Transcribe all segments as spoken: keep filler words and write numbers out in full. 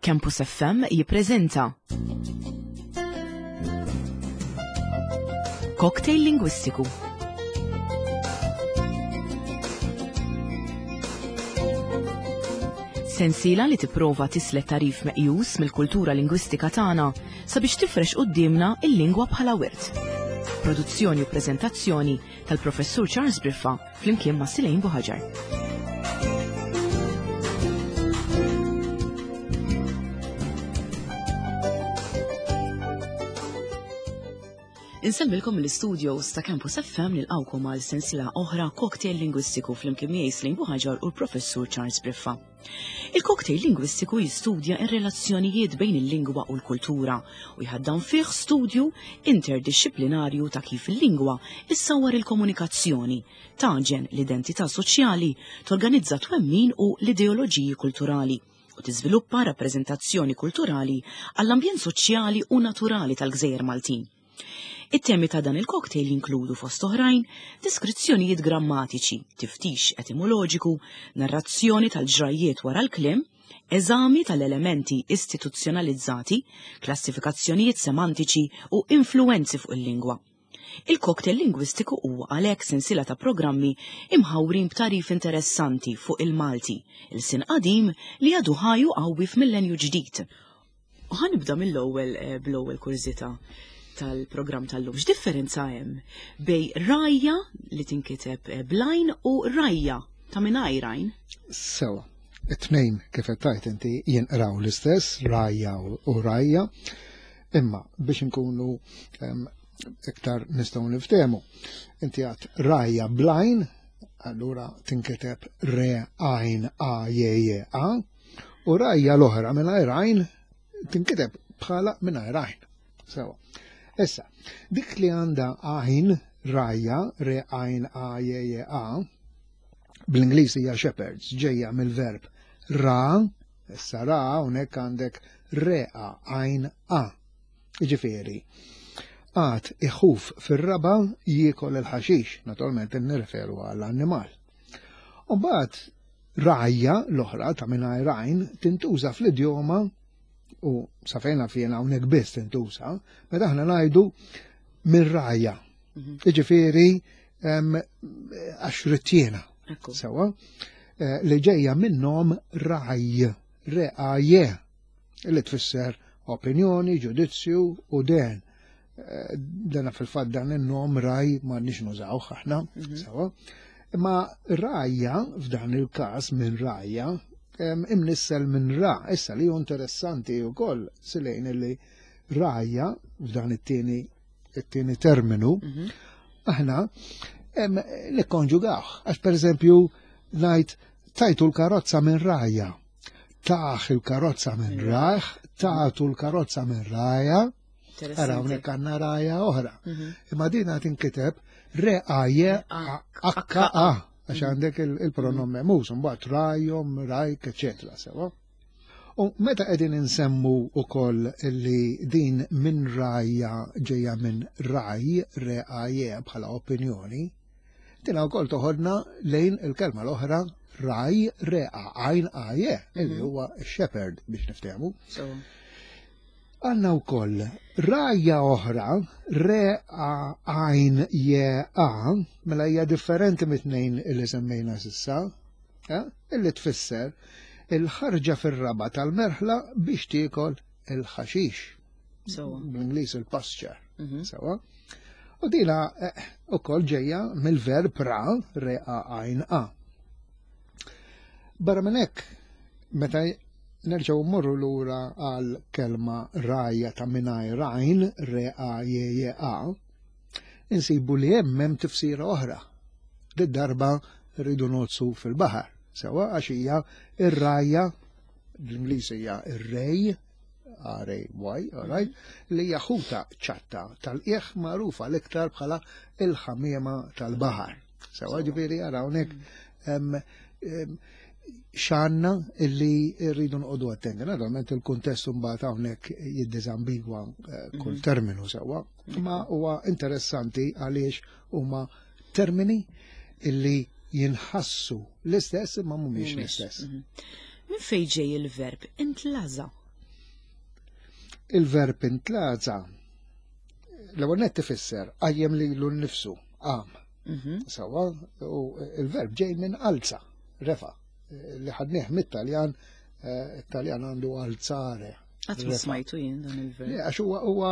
Campus F M jippreżenta Cocktail Lingwistiku. Sensiela li tipprova tislet tarif meqjus mill-kultura lingwistika tagħna sabiex tifrex quddiemna il-lingwa bħala wirt. Produzzjoni u preżentazzjoni tal-Professur Charles Briffa flimkien ma' Silejn Buħaġar. Insemmilkom l-studios ta' Campus F M nilqawkom għal sensiela oħra Cocktail Lingwistiku flimkien miegħi Silejn Buħaġar u l-Professur Charles Briffa. Il-cocktail lingwistiku jistudja r-relazzjonijiet bejn il-lingwa u l-kultura u jħaddan fih studju interdixxiplinarju ta' kif il-lingwa issawwar il-komunikazzjoni, taġen l-identità soċjali, torganizza twemmin u l-ideoloġiji kulturali u tiżviluppa rappreżentazzjoni kulturali għall-ambjent soċjali u naturali tal-Gżejjer Maltin. It-temi ta' dan il-cocktail jinkludu fost oħrajn deskrizzjonijiet grammatiċi, tiftix etimoloġiku, narrazzjoni tal-ġrajjiet wara l-kliem, eżami tal-elementi istituzzjonalizzati, klassifikazzjonijiet semantiċi u influenzi fuq il-lingwa. Il-cocktail lingwistiku huwa għalhekk sensiela ta' programmi imħawrin b'tarif interessanti fuq il-Malti, il-sin qadim li għadu ħaju qawwi f'millenju ġdid. U ħanibda mill-ewwel, eh, bl-ewwel kurżità tal-programm tal-lum. X'differenza hemm bej rajja li tinkiteb, eh, blajn u rajja ta' mingħajr għajn? Sewa, it-tnejn kif qed tgħid inti jinqraw l-istess, rajja u, u rajja, imma biex inkunu, ehm, iktar nistgħu niftehmu. Inti għad rajja blajn, allura tinkiteb re għajn a je je a, u rajja l-oħra mingħajr għajn tinkiteb bħala mingħajr għajn. Sewa. Issa, dik li għandha għajn, rajja, re għajn a je je a, bl-Ingliż hija shepherds, ġejja mill-verb ra, issa ra, hawnhekk għandek re a għajn a. Jiġifieri, għad iħuf fir-raba jiekol il-ħaxix, naturalment nirreferu għall-annimal. U mbagħad rajja l-oħra ta' mingħajr għajn tintuża fl-idjoma u sa fejn naf jiena hawnhekk biss tintuża, meta aħna ngħidu minn rajja. Mhm. Jiġifieri, em, għax rittiena. Ekku. Sewa, eh, li ġejja minnhom raj, re a je, li tfisser opinjoni, ġudizzju u den. Eh, dana fil-fatt dan in-nom raj m'għandniex nużawh aħna, Mhm. sewa. Imma rajja f'dan il-każ minn rajja, em, imnissel minn ra, issa li hu interessanti wkoll silejn illi rajja f'dan it-tieni, it-tieni terminu, Mhm. aħna, em, nikkonġugawh. Għax pereżempju ngħid tajtu l-karozza minn rajja, taħ il-karozza minn Mhm. rajh, tagħtu l-karozza minn rajja. Interessanti. Ara hawnhekk għandna rajja oħra. Mhm. Imma din tinkiteb re a je a h a, għax għandek il-, il-pronom memus, mbagħad rajhom, rajk, eċetera, sewa. U meta qegħdin insemmu wkoll li din minn rajja ġejja minn raj, re a je bħala opinjoni, din wkoll toħodna lejn il-kelma l-oħra raj, re a għajn a je, illi Mhm. huwa shepherd biex niftehmu. So. Għanna wkoll rajja oħra, re a għajn je a, mela hija differenti mit-tnejn li semmejna s'issa, eh, illi tfisser il-ħarġa fir-raba tal-merħla biex tiekol il-ħaxix. Sewa. Bl-Ingliż il-pasture. Mhm. Sewa. U dina, eh, ukoll ġejja mill-verb ra, re a għajn a. Barra minn hekk, meta nerġgħu mmorru lura għal kelma rajja ta' mingħajr għajn, re a je je a, insibu li hemm hemm tifsira oħra. Did darba rridu nozzu fil-baħar. Sewa għax hija ir-rajja, bl-Ingliż hija ir-rej, R A Y, all right, li hija ħuta ċatta tal-qiegħ magħrufa l-iktar bħala il-ħamiema tal-baħar. Sewa Sewa. ġifieri ara hawnhekk, em, em, x'għandna illi rridu nqogħdu attenti. Naturalment il-kuntest mbagħad hawnhekk jiddiżambigwa, eh, kull Mhm. terminu sewwa, imma huwa interessanti għaliex huma termini illi jinħassu l-istess imma mhumiex Mhumiex. l-istess. Mhm. Min fejn ġej il-verb intlaża? Il-verb intlaza l-ewwel nett ifisser qajjem lilu nnifsu, qam. Mhm. Sawa, u il-verb ġej minn alza, refa, li ħadnieh mit-Taljan, eh, it-Taljan għandu alzare. Qatt ma Refa. smajtu jien dan il-verb. Le, għax huwa huwa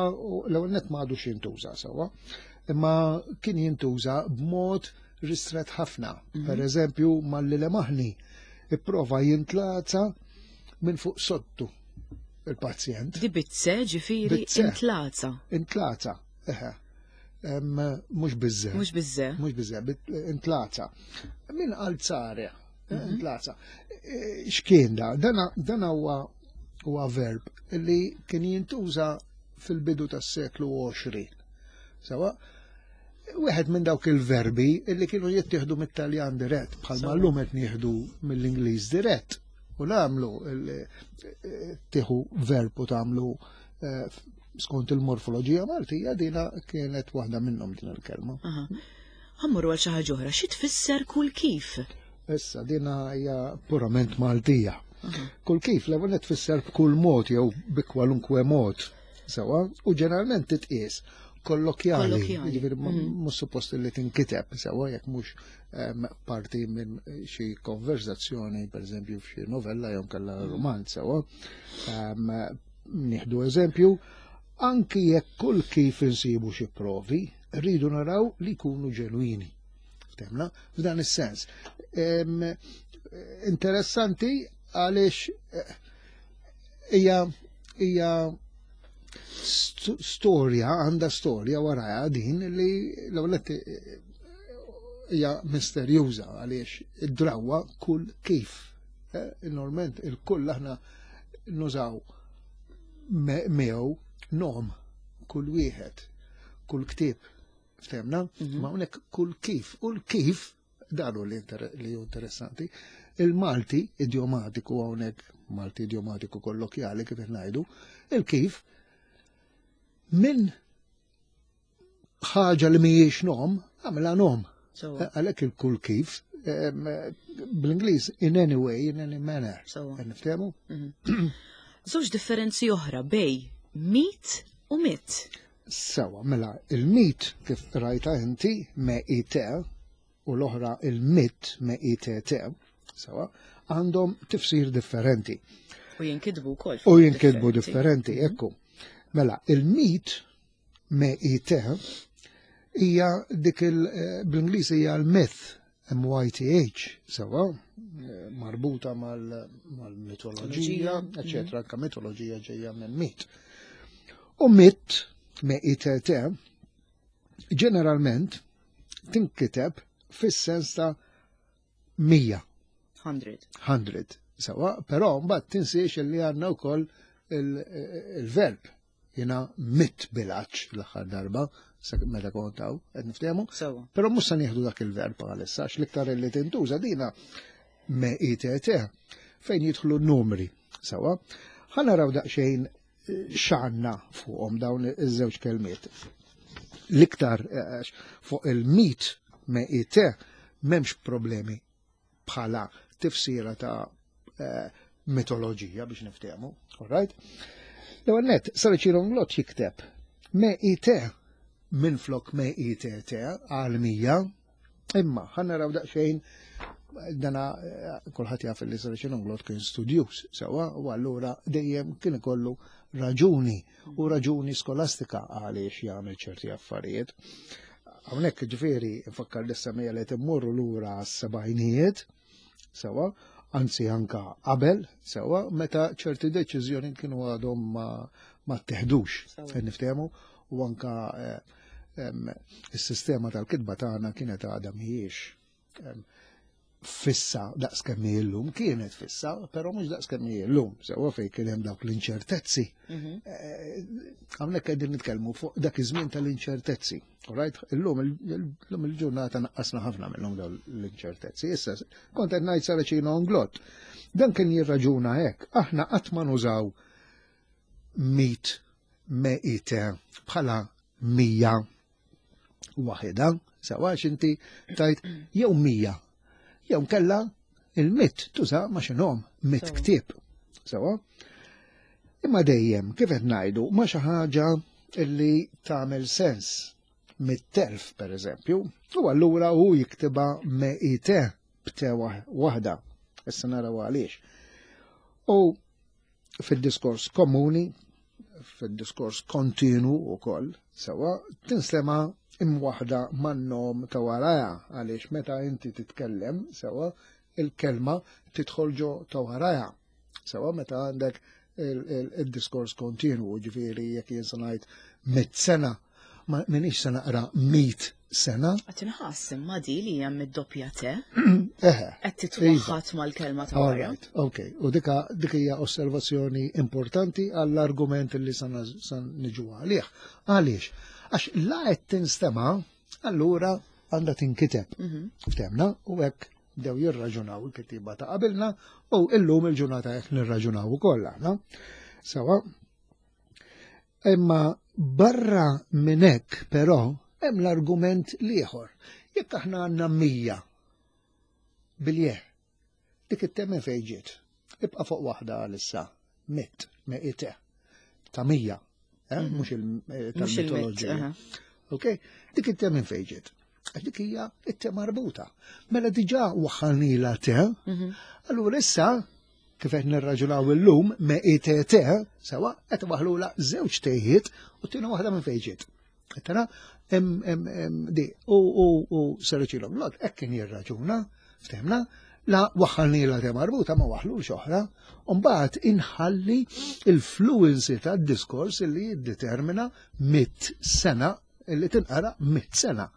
l-ewwel nett ma għadux jintuża sewwa, imma kien jintuża b'mod ristret ħafna. Per eżempju, malli lemaħni ipprova jintlaza minn fuq sottu il-pazjent. Di bizze ġifieri Bizze. intlaza, Intlaza, eħe. Em, Mhux biżże. mhux bizze. Mhux biżże, bit- intlaza. Min alzare, intlaza. E, X'kien da? Dana dana huwa huwa verb li kien jintuża fil-bidu tas-seklu għoxrin. Sawa, wieħed minn dawk il-verbi li kienu jittieħdu mit-Taljan dirett, bħalma Sawa. llum qed nieħdu mill-Ingliż dirett. U nagħmlu il- tieħu verb u tagħmlu eh, skont il-morfoloġija Maltija, dina kienet waħda minnhom din il-kelma. Aha. Ħa mmorru għal xi ħaġa oħra, xi tfisser kull kif? Issa dina hija purament Maltija. Kull kif l-ewwel tfisser b'kull mod jew bi kwalunkwe mod. Sewa, u ġeneralment titqies kollokjali, Kollokjali. jiġifieri ma- Mhm. mhux suppost li tinkiteb sewa jekk mhux em, parti minn xi konverzazzjoni, pereżempju f'xi novella jew kellha romanz sewa. Em, Nieħdu eżempju, anki jekk kull kif insibu xi provi, rridu naraw li jkunu ġenwini. Ftemna? F'dan is-sens. Em, Interessanti għaliex eh, hija hija st- storja, għandha storja warajha din li l-ewwel nett, eh, hija misterjuża għaliex id-drawa kull kif. Eh, Normalment il-kull aħna nużaw me- miegħu nom kull wieħed, kull ktieb. Ftemna? Ma hawnhekk kull kif. U l-kif, dan hu li inter- li hu interessanti, il-Malti idiomatiku hawnhekk, Malti idiomatiku kollokjali kif qed ngħidu, il-kif minn ħaġa li mhijiex nom, għamilha nom. Sawa. Għalhekk il-kull kif, em, bl-Ingliż in any way, in any manner. Sawa. Niftehmu? Żewġ differenzi oħra bejn mit u mitt. Sawa, mela, il-mit kif rajta inti, me I T, u l-oħra il-mitt me I T T, sawa, għandhom tifsir differenti. U jinkitbu wkoll. U jinkitbu differenti, ekku. Mela, il-mit me I T hija dik il eh, bl-Ingliż hija l-myth, M Y T H, sawa, eh, marbuta mal- mal-mitoloġija, Mitoloġija, eccetera, anka mitoloġija ġejja minn mit. U mitt, me I T T, ġeneralment tinkiteb fis-sens ta' mija, mija. mija, sawa, però mbagħad tinsiex li għandna wkoll il- il-verb. Jiena mitt bil-għatx l-aħħar darba, sa meta kontaw, qed niftehmu. Sawa. Però mhux se nieħdu dak il-verb għalissa, għax l-iktar li tintuża dina me I T T fejn jidħlu n-numri. Sawa, ħa naraw daqsxejn eh, x'għandna fuqhom dawn iż-żewġ kelmiet. L-iktar eh, għax fuq il-mit me I T m'hemmx problemi bħala tifsira ta' eh, mitoloġija biex niftehmu, all right? L-ewwel nett, Saracino Inglott jikteb me I T minn flok me I T T għal mija, imma ħa naraw daqsxejn dana eh, kulħadd jaf li Saracino Inglott kien studjuż sewa u allura dejjem kien ikollu raġuni u raġuni skolastika għaliex jagħmel ċerti affarijiet. Hawnhekk ġifieri nfakkar lis-semmiegħa li timmorru lura s-sebgħinijiet, sewa, anzi anka qabel, sewa, meta ċerti deċiżjoni kienu għadhom ma, ma teħdux, Sewa. niftehmu, u anka eh, em, is-sistema tal-kitba tagħna kienet għadha mhijiex em, fissa daqs kemm hi llum, kienet fissa, però mhux daqs kemm hi llum, sewa fejn kien hemm dawk l-inċertezzi. Eh, Hawnhekk qegħdin nitkellmu fuq dak iż-żmien tal-inċertezzi. All right? Illum illum il-ġurnata naqqasna ħafna minnhom dawn l-inċertezzi. Issa kont qed ngħid Saracino Inglott. Dan kien jirraġuna hekk, aħna qatt ma nużaw mit me ite bħala mija waħda, sawa inti tajt jew mija, jew kella il-mitt tuża ma x'inhom mitt Sewa. ktieb. Sawa? Imma dejjem, kif qed ngħidu, ma xi ħaġa illi tagħmel sens. Mitt elf, per eżempju, u allura hu jiktibha M I T b'T waħda. Issa naraw għaliex. U fil-diskors komuni, fil-diskors kontinu u koll, sewa, tinstema' imwaħda man-nom ta' waraja, għaliex meta inti titkellem, sewa, il-kelma tidħol ġo ta' waraja. Sewa, meta għandek il-diskors kontinu, ġifieri jekk jien se ngħid mitt sena, ma minix se naqra mit sena. Qed inħass imma di li hemm id-doppja T. Eħe. Qed titwaħħad mal-kelma ta' wara. All right, ok. U dika dik hija osservazzjoni importanti għall-argument li sa niġu għalih. Għaliex? Għax la qed tinstema', allura għandha tinkiteb. Mhm. Ftemna, u hekk bdew jirraġunaw il-kittiba ta' qabilna u illum il-ġurnata hekk nirraġunaw ukoll aħna. Sewa. Imma barra minn hekk però hemm l-argument l-ieħor. Jekk aħna għandna mija bil-je, dik it-T minn fejn ġiet. Ibqa' fuq waħda għalissa, mit, me ite, ta' mija, eh? Mhm. Mhux il- eh, Mhux il-mit. tal-mitoloġija. aha. Ok? Dik it-T minn fejn ġiet. Għax dik hija it-T marbuta. Mela diġà waħħalnila T, Mhm. allura issa kif qed nirraġunaw illum me I T T, sewa qed waħlula żewġ tejiet u tina waħda minn fejn ġiet. Tara, em em em di u u u Sir Richie Longlot hekk kien jirraġuna, ftemna, la waħħalnila T marbuta ma waħlux oħra, u mbagħad inħalli il-fluency tad-diskors li jiddetermina mit sena illi tinqara mit sena.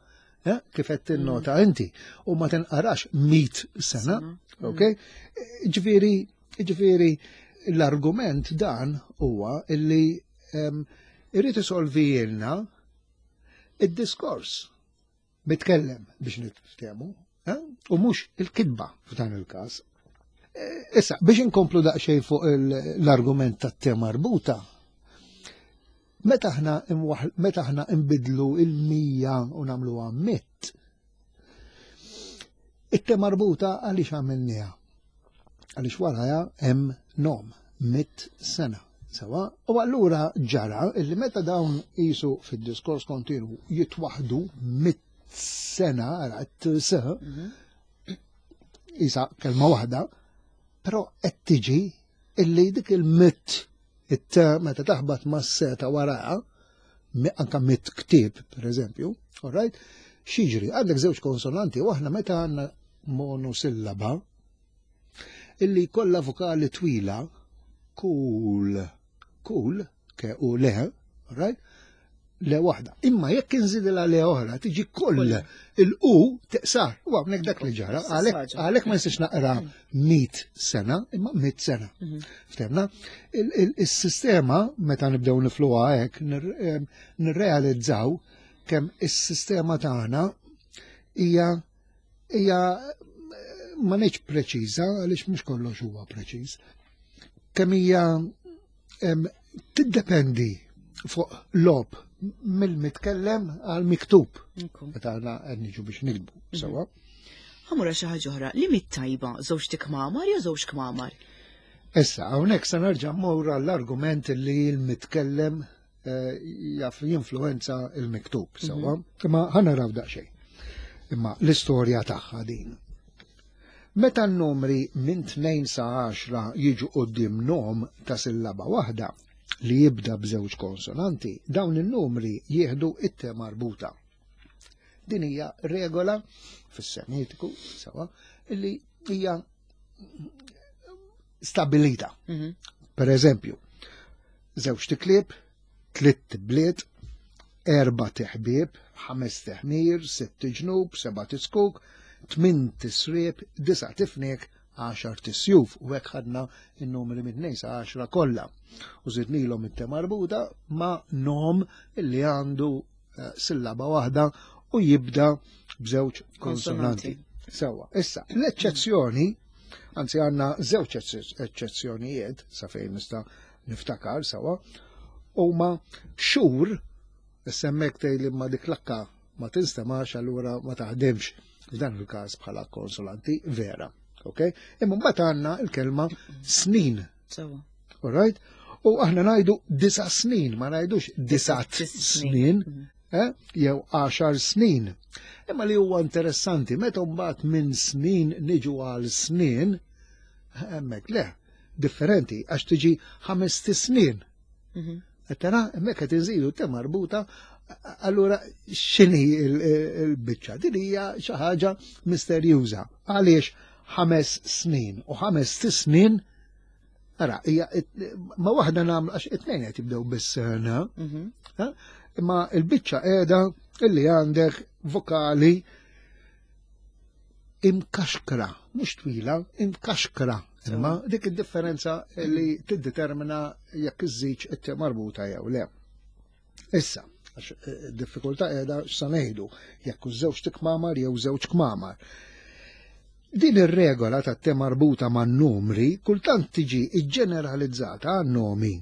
Eh, kif qed tinnota inti u ma tinqarax mit sena, Sena. ok? Ġifieri, ġifieri l-argument dan huwa illi em, irrid isolvilna id-diskors mitkellem biex niftehmu, eh? U mhux il-kitba f'dan il-każ. Eh, Issa, biex inkomplu daqsxejn fuq il- l-argument tat-T marbuta, meta aħna imwaħ- meta aħna imbidlu il-mija u nagħmluha mit, it-T marbuta għaliex għamilniha? Għaliex waraja hemm nom, mit sena. Sewa, u allura ġara illi meta dawn jisu fid-diskors kontinu jitwaħdu mit sena, għara, t-s, Mhm. isa kelma waħda, però qed tiġi illi dik il-mit it meta taħbat ma' seta waraha, mi- anka mit ktib, per eżempju, all right, x'jiġri, għandek żewġ konsonanti u aħna meta għandna monosillaba illi kollha vokali twila, cool, cool, ke u le, all right, le waħda. Imma jekk inżidilha le oħra, tiġi koll Kull. il-u teqsar. U hawnhekk dak li ġara, Istess għalhekk ħaġa. għalhekk ma nistax naqra mit sena, imma mit sena. Mhm. Ftemna, Il- il- il-sistema, meta nibdew nifluha hekk, nir- em, nirrealizzaw kemm is-sistema tagħna hija hija ma ngħidx preċiża għaliex mhux kollox huwa preċiż. Kemm hija em, tiddependi fuq lob mill-mitkellem għal miktub Ekku. meta aħna qed niġu biex nikbu sewwa. Ħa mmur xi ħaġa oħra, li mit tajba żewġ tikmamar jew żewġ kmamar? Issa, hawnhekk se nerġa' mmur għall-argument li l-mitkellem eh, jaf jinfluenza il-miktub, sewwa. Imma ħa naraw daqsxejn. Imma l-istorja tagħha din. Meta n-numri minn tnejn sa għaxra jiġu quddiem nom ta' sillaba waħda li jibda b'żewġ konsonanti, dawn in-numri jieħdu it-T marbuta. Din hija regola fis-semitiku, sewa, illi hija stabilita. Mhm. Per eżempju, żewġ tiklieb, tlitt bliet, erba teħbieb, ħames teħmir, sitt ġnub, seba tiskuk, tmin tisrieb, disa tifnek, għaxar tisjuf. U hekk ħadna in-numri minn tnejn sa għaxra kollha. U żidnilhom it-T marbuta ma' nom illi għandu eh, sillaba waħda u jibda b'żewġ konsonanti. Sewa, issa, l-eċċezzjoni, anzi għandna żewġ eċċezzjonijiet, sa fejn nista' niftakar sewa, huma xhur, semmek tgħid li ma dik l-akka ma tinstemax allura ma taħdimx f'dan il-każ bħala konsonanti vera. Ok? Imma mbagħad għandna l-kelma snin. Sewa. All right? U aħna ngħidu disa' snin, ma ngħidux disat snin, eh, jew għaxar snin. Imma li huwa interessanti, meta mbagħad minn snin niġu għal snin, hemmhekk le, differenti, għax tiġi ħames snin. Tara, hemmhekk qed inżidu te marbuta, allura x'inhi il-biċċa? Din hija xi ħaġa misterjuża. Għaliex ħames snin u ħames snin, ara, hija ma waħda nagħmlu għax it-tnejn qed jibdew bis-sena, imma il-biċċa qiegħda illi għandek vokali imkaxkra, mhux twila, imkaxkra. Imma dik id-differenza li tiddetermina jekk iż-żiġ it marbuta jew le. Issa, għax id-diffikultà qiegħda x'sa ngħidu, jekk żewġ tikmamar jew żewġ kmamar. Din ir-regola ta' te marbuta man numri kultant tiġi ġġeneralizzata għan nomi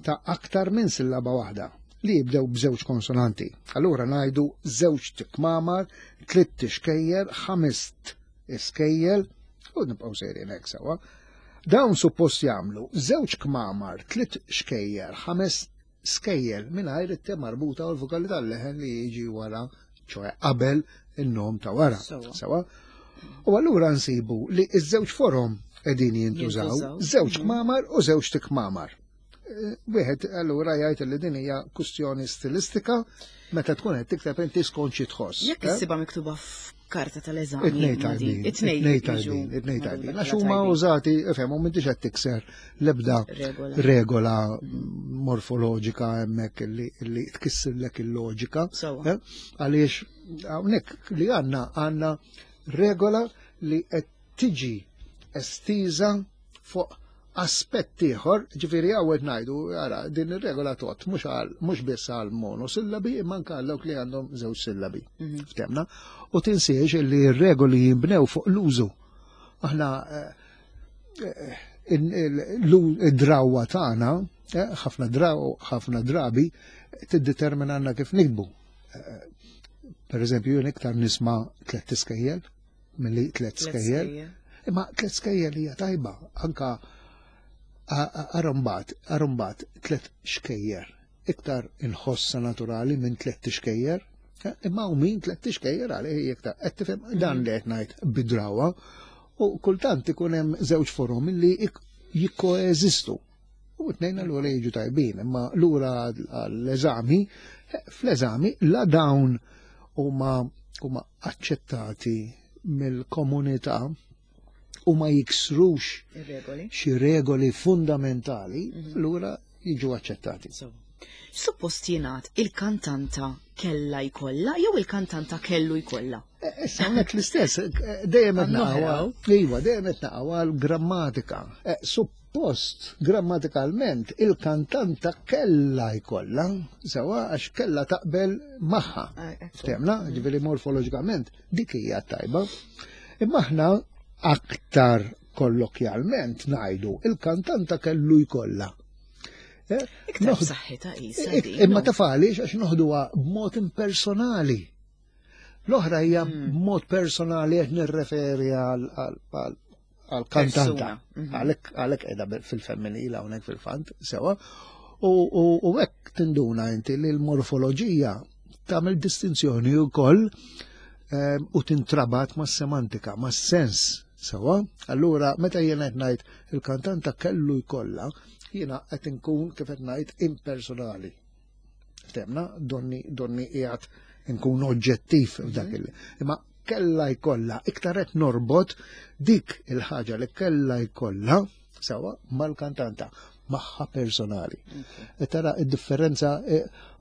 ta' aktar minn sillaba waħda li jibdew b'żewġ konsonanti. Allura ngħidu żewġ tikmamar, tliet tixkejjer, ħames iskejjel, u nibqgħu sejrin hekk sewwa. Dawn suppost jagħmlu żewġ kmamar, tliet xkejjer, ħames skejjel mingħajr it-te marbuta u l-vokali tal-leħen li jiġi wara, ċoe qabel in-nom ta' wara. Sewwa. U allura nsibu li ż-żewġ forom qegħdin jintużaw, żewġ kmamar u żewġ tikmamar. Wieħed allura jgħid li din hija kwistjoni stilistika meta tkun qed tikteb inti skont xi tħoss. Jekk issibha miktuba f'karta tal-eżami. It-tnejn tajbin, it-tnejn tajbin, it-tnejn tajbin. Għax huma użati, ifhem, u m'intix qed tikser l-ebda regola morfoloġika hemmhekk li tkissirlek il-loġika. Għaliex hawnhekk li għandna għandna regola li qed tiġi estiża fuq aspett ieħor, ġifieri hawn qed ngħidu, ara, din ir-regola tot mhux għal mhux biss għal monosillabi imma anke għal dawk li għandhom żewġ sillabi. Ftemna? U tinsiex li r-regoli jinbnew fuq l-użu. Aħna id-drawwa tagħna, ħafna draw, ħafna drabi tiddetermina għandna kif nikbu. Per eżempju, jien iktar nisma' tliet iskejjel milli tliet skejjel. Imma tliet skejjel hija tajba, anka arombat, arombat tliet xkejjer. Iktar inħossa naturali minn tliet tixkejjer, imma u min tliet tixkejjer għalih iktar. Qed tifhem dan li qed ngħid bidrawa, u kultant ikun hemm żewġ forom li jikkoeżistu. U tnejn allura jiġu tajbin, imma lura għall-eżami, fl-eżami la dawn huma huma aċċettati mill-komunità u ma jiksrux xi regoli fundamentali, allura jiġu aċċettati. Suppost jingħad il-kantanta kella jkollha jew il-kantanta kellu jkollha? Issa hawnhekk l-istess, dejjem qed naqgħu, iva, dejjem qed naqgħu għall-grammatika. Suppost grammatikalment il-kantanta kella jkollha, sewa għax kella taqbel magħha. Ftemna, ġifieri morfoloġikament dik hija tajba. Imma aħna aktar kollokjalment ngħidu il-kantanta kellu jkollha. Iktar b'saħħitha qisha din. Imma taf għaliex għax noħduha b'mod impersonali. L-oħra hija b'mod personali qed nirreferi għal kantanta. Għalhekk għalhekk qiegħda fil-femminil hawnhekk fil-fant, sewa. U hekk tinduna inti li l-morfoloġija tagħmel distinzjoni wkoll u tintrabat mas-semantika, mas-sens. Sewa, allura meta jiena qed ngħid il-kantanta kellu jkollha, jiena qed inkun kif qed ngħid impersonali. Ftemna, donni donni qiegħed inkun oġġettiv f'dak il. Imma kella jkollha, iktar qed norbot dik il-ħaġa li kella jkollha sewa mal-kantanta, magħha personali. Tara id-differenza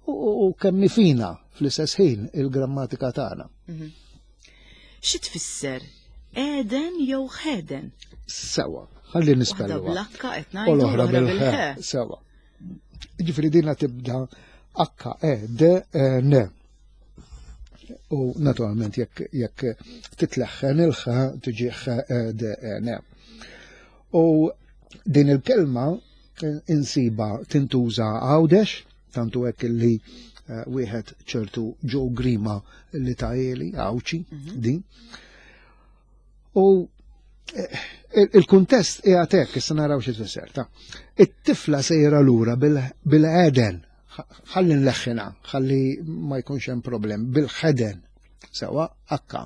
u kemm fina fl-istess ħin il-grammatika tagħna. Xi tfisser? Eden jew ħeden? Sewa, ħalli nispelluha. Waħda bl-H qed ngħidu, u l-oħra l-oħra bil-H. bil-H. Sewa. Ġifieri dinha tibda H E D E N. U naturalment jekk jekk titleħħen il-H tiġi H E D E N. U din il-kelma insiba tintuża Għawdex, tantu hekk li wieħed ċertu Joe Grima li ta' Eli, Għawċi, din. U Il-kuntest qiegħed hekk, issa naraw xi tfisser ta'. It-tifla sejra lura bil-ħeden, ħalli nleħħina, ħalli ma jkunx hemm problem, bil-ħeden, sewa akka.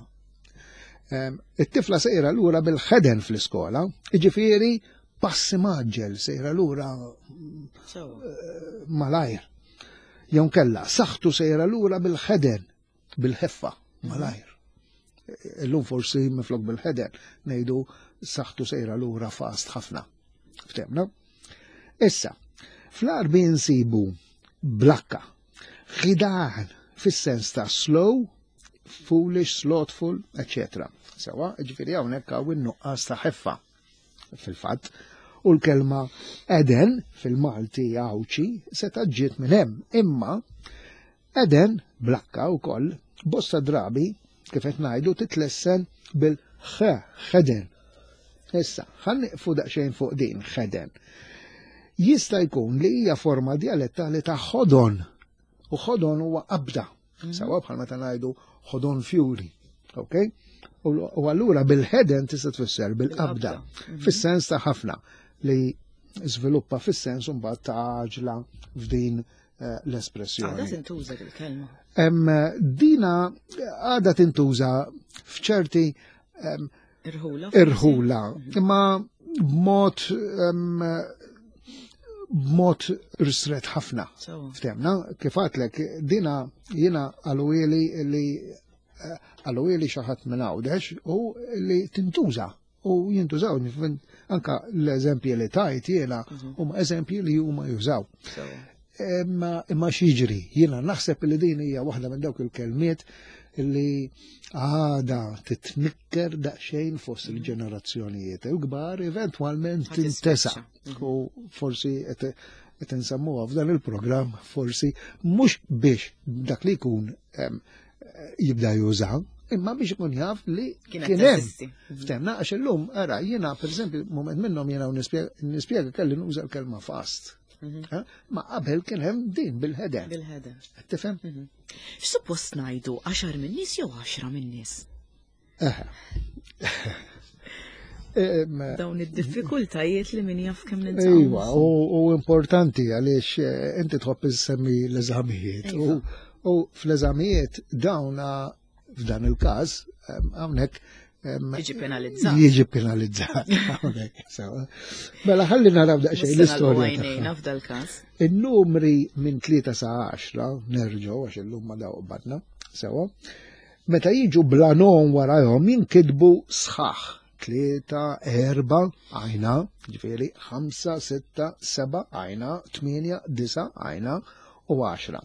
It-tifla sejra lura bil-ħeden fl-iskola, jiġifieri passi maġġel, sejra lura malajr. Jew kella, saħtu sejra lura bil-ħeden, bil-ħeffa, malajr. Illum forsi minflok bil-ħeden, ngħidu saħtu sejra lura fast ħafna. Ftemna? Issa, fl-Għarbi nsibu blakka, ħidan, fis-sens ta' slow, foolish, slothful, eccetera. Sewa, ġifieri hawnhekk hawn in-nuqqas ta' ħeffa fil-fatt. U l-kelma Eden fil-Malti Għawdxi seta' ġiet minn hemm, imma Eden blakka wkoll bosta drabi kif qed ngħidu titlessen bil-ħ, ħeden. Issa, ħa nieqfu daqsxejn fuq din ħeden. Jista' jkun li hija forma dialettali ta' ħodon, u ħodon huwa qabda. Sewa bħal meta ngħidu ħodon fjuri. Ok? U allura bil-ħeden tista' tfisser bil-qabda, fis-sens ta' ħafna li żviluppa fis-sens mbagħad ta' għaġla f'din l-espressjoni. Għadha tintuża il-kelma. Dina għadha tintuża f'ċerti irħula, irħula, imma b'mod b'mod ristret ħafna. Ftemna, kif għatlek, dina jiena għaluili li għaluili xi ħadd minn Għawdex u li tintuża. U jintużaw, anka l-eżempji li tajt jiena huma eżempji li huma jużaw. Imma imma x'jiġri, jiena naħseb li din hija waħda minn dawk il-kelmiet li għada titnikker daqsxejn fost il-ġenerazzjonijiet il-kbar, eventwalment tintesa. U forsi qed insemmuha f'dan il-programm, forsi mhux biex dak li jkun jibda juża, imma biex ikun jaf li kien hemm. Ftemna, għax illum, ara, jiena pereżempju, moment minnhom jiena nispjega kelli nuża l-kelma fast. Ma qabel kien hemm din bil-ħeden. Bil-ħeden. Tifhem? X'suppost ngħidu għaxar minn nies jew għaxra minn nies? Dawn id-diffikultajiet li min jaf kemm nintaqgħu. Iva, u importanti għaliex inti tħobb issemmi l-eżamijiet. U fl-eżamijiet dawn f'dan il-każ hawnhekk jiġi penalizzat. Jiġi penalizzat. Mela ħalli naraw daqsxejn l-istorja. F'dal-każ. In-numri minn tlieta sa għaxra, nerġgħu għax illum ma daw qbadna, sewa. Meta jiġu bla nom warahom jinkitbu sħaħ. Tlieta, erba, għajna, ġifieri ħamsa, sitta, seba, għajna, tmienja, disa, għajna u għaxra.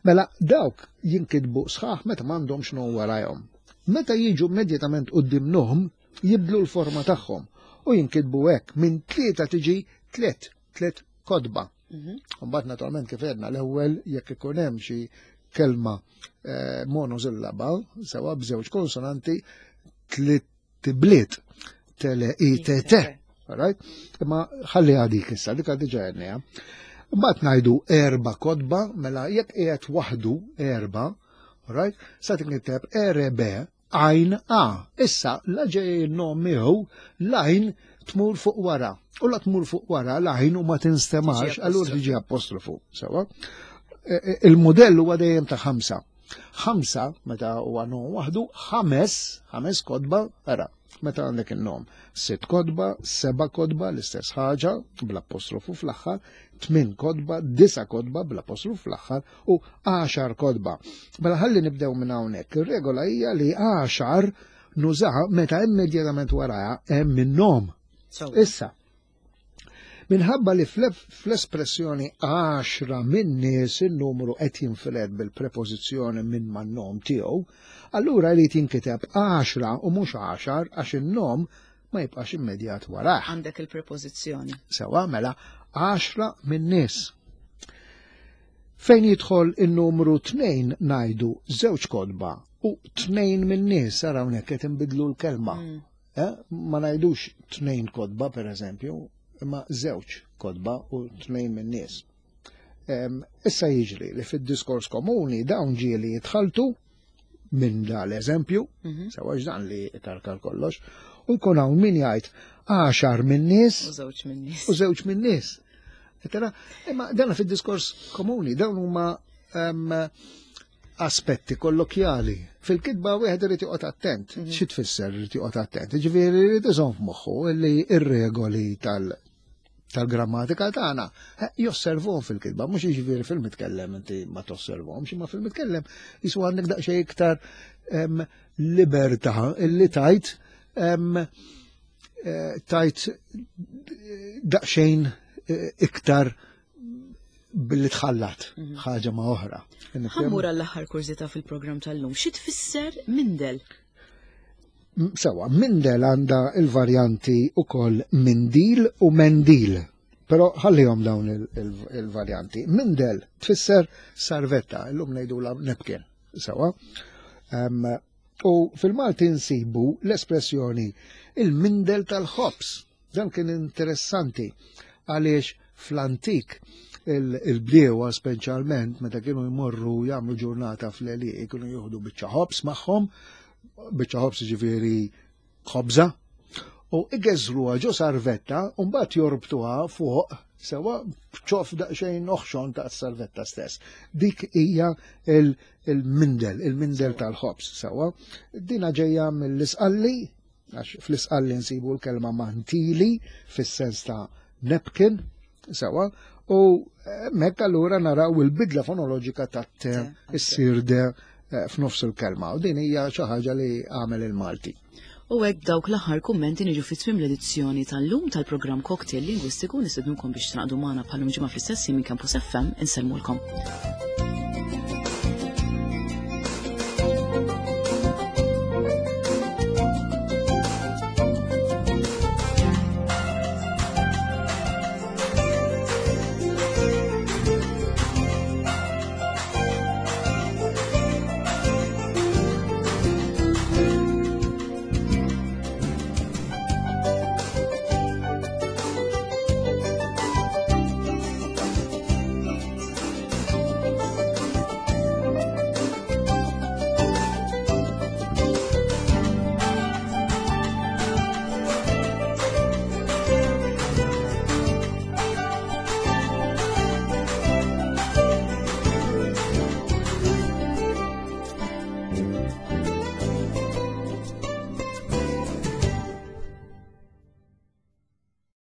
Mela dawk jinkitbu sħaħ meta m'għandhomx nom warahom. Meta jiġu immedjatament quddiem nom, jibdlu l-forma tagħhom u jinkitbu hekk minn tlieta tiġi tliet, tliet kodba. Mbagħad naturalment kif għedna l-ewwel jekk ikun hemm xi kelma monosillaba sewa b'żewġ konsonanti tliet tibliet tele i t t. Right? Imma ħalli għadik issa, dik diġà għedniha. Mbagħad ngħidu erba' kodba, mela jekk qiegħed waħdu erba', right? Sa tinkiteb R B għajn A. Issa la ġej il-nom miegħu l-għajn tmur fuq wara. U la tmur fuq wara l-għajn u ma tinstemax, allura tiġi apostrofu. Sewa. Il-modell huwa dejjem ta' ħamsa. Ħamsa, meta huwa nom waħdu, ħames, ħames kodba, ara, meta għandek il-nom. Sitt kodba, seba kodba, l-istess ħaġa, bl-apostrofu fl-aħħar, tmien kodba, disa kodba, bl-apostrofu fl-aħħar, u għaxar kodba. Mela ħalli nibdew minn hawnhekk. Ir-regola hija li għaxar nużaha meta immedjatament warajha hemm in-nom. Issa, minħabba li fl-espressjoni għaxra minn nies in-numru qed jinfired bil-prepożizzjoni minn man-nom tiegħu, allura jrid jinkiteb għaxra u mhux għaxar għax in-nom ma jibqax immedjat warah. Għandek il-prepożizzjoni. Sewa, mela għaxra minn nies. Fejn jidħol in-numru tnejn ngħidu żewġ kodba u tnejn minn nies, ara hawnhekk qed inbidlu l-kelma. Ma ngħidux tnejn kodba pereżempju, imma żewġ kodba u tnejn minn nies. Issa jiġri li fid-diskors komuni dawn ġieli jitħaltu minn dal eżempju, sewa dan li karkar kollox, U jkun hawn min jgħid għaxar min-nies U żewġ min-nies. U żewġ min-nies. Tara, imma dana fid-diskors komuni, dawn huma em, aspetti kollokjali. Fil-kitba wieħed irid joqgħod attent. Mhm. Xi tfisser irid joqgħod attent? Ġifieri irid iżomm f'moħħu li r-regoli tal tal-grammatika tagħna eh, josservhom fil-kitba, mhux jiġifieri fil-mitkellem inti ma tosservhomx, imma fil-mitkellem jisu għandek daqsxejn iktar em, libertà illi tajt em, eh, tajt daqsxejn eh, iktar billi tħallat ħaġa ma' oħra. Ħa mmur għall-aħħar kurżità fil-programm tal-lum. Xi tfisser mindel? M- Sewa, mindel għandha il-varjanti ukoll mindil u mendil. Però ħallihom dawn il- il- il-varjanti. Mindel tfisser sarvetta, illum ngħidula napkin. Sewa. Em, u fil-Malti nsibu l-espressjoni il-mindel tal-ħobs. Dan kien interessanti għaliex fl-antik il- il-bdiewa speċjalment meta kienu jmorru jagħmlu ġurnata fl-għelieqi kienu jieħdu biċċa ħobs magħhom, biċċa ħobs ġifieri ħobża, u igeżruha ġo sarvetta u mbagħad jorbtuha fuq sewa b'ċoff daqsxejn oħxon ta' sarvetta stess. Dik hija il- il-mindel, il-mindel tal-ħobs sewa. Dina ġejja mill-Isqalli, għax fl-Isqalli nsibu l-kelma mantili fis-sens ta' napkin, sewa, u hemmhekk allura naraw il-bidla fonoloġika ta' te issir de eh, f'nofs il-kelma. U din hija xi ħaġa li għamel il-Malti. U hekk dawk l-aħħar kummenti niġu fi tmiem l-edizzjoni tal-lum tal-programm Cocktail Lingwistiku. Nistednukom biex tingħaqdu magħna bħal ġimgħa fl-istess minn Campus F M. Insellmulkom.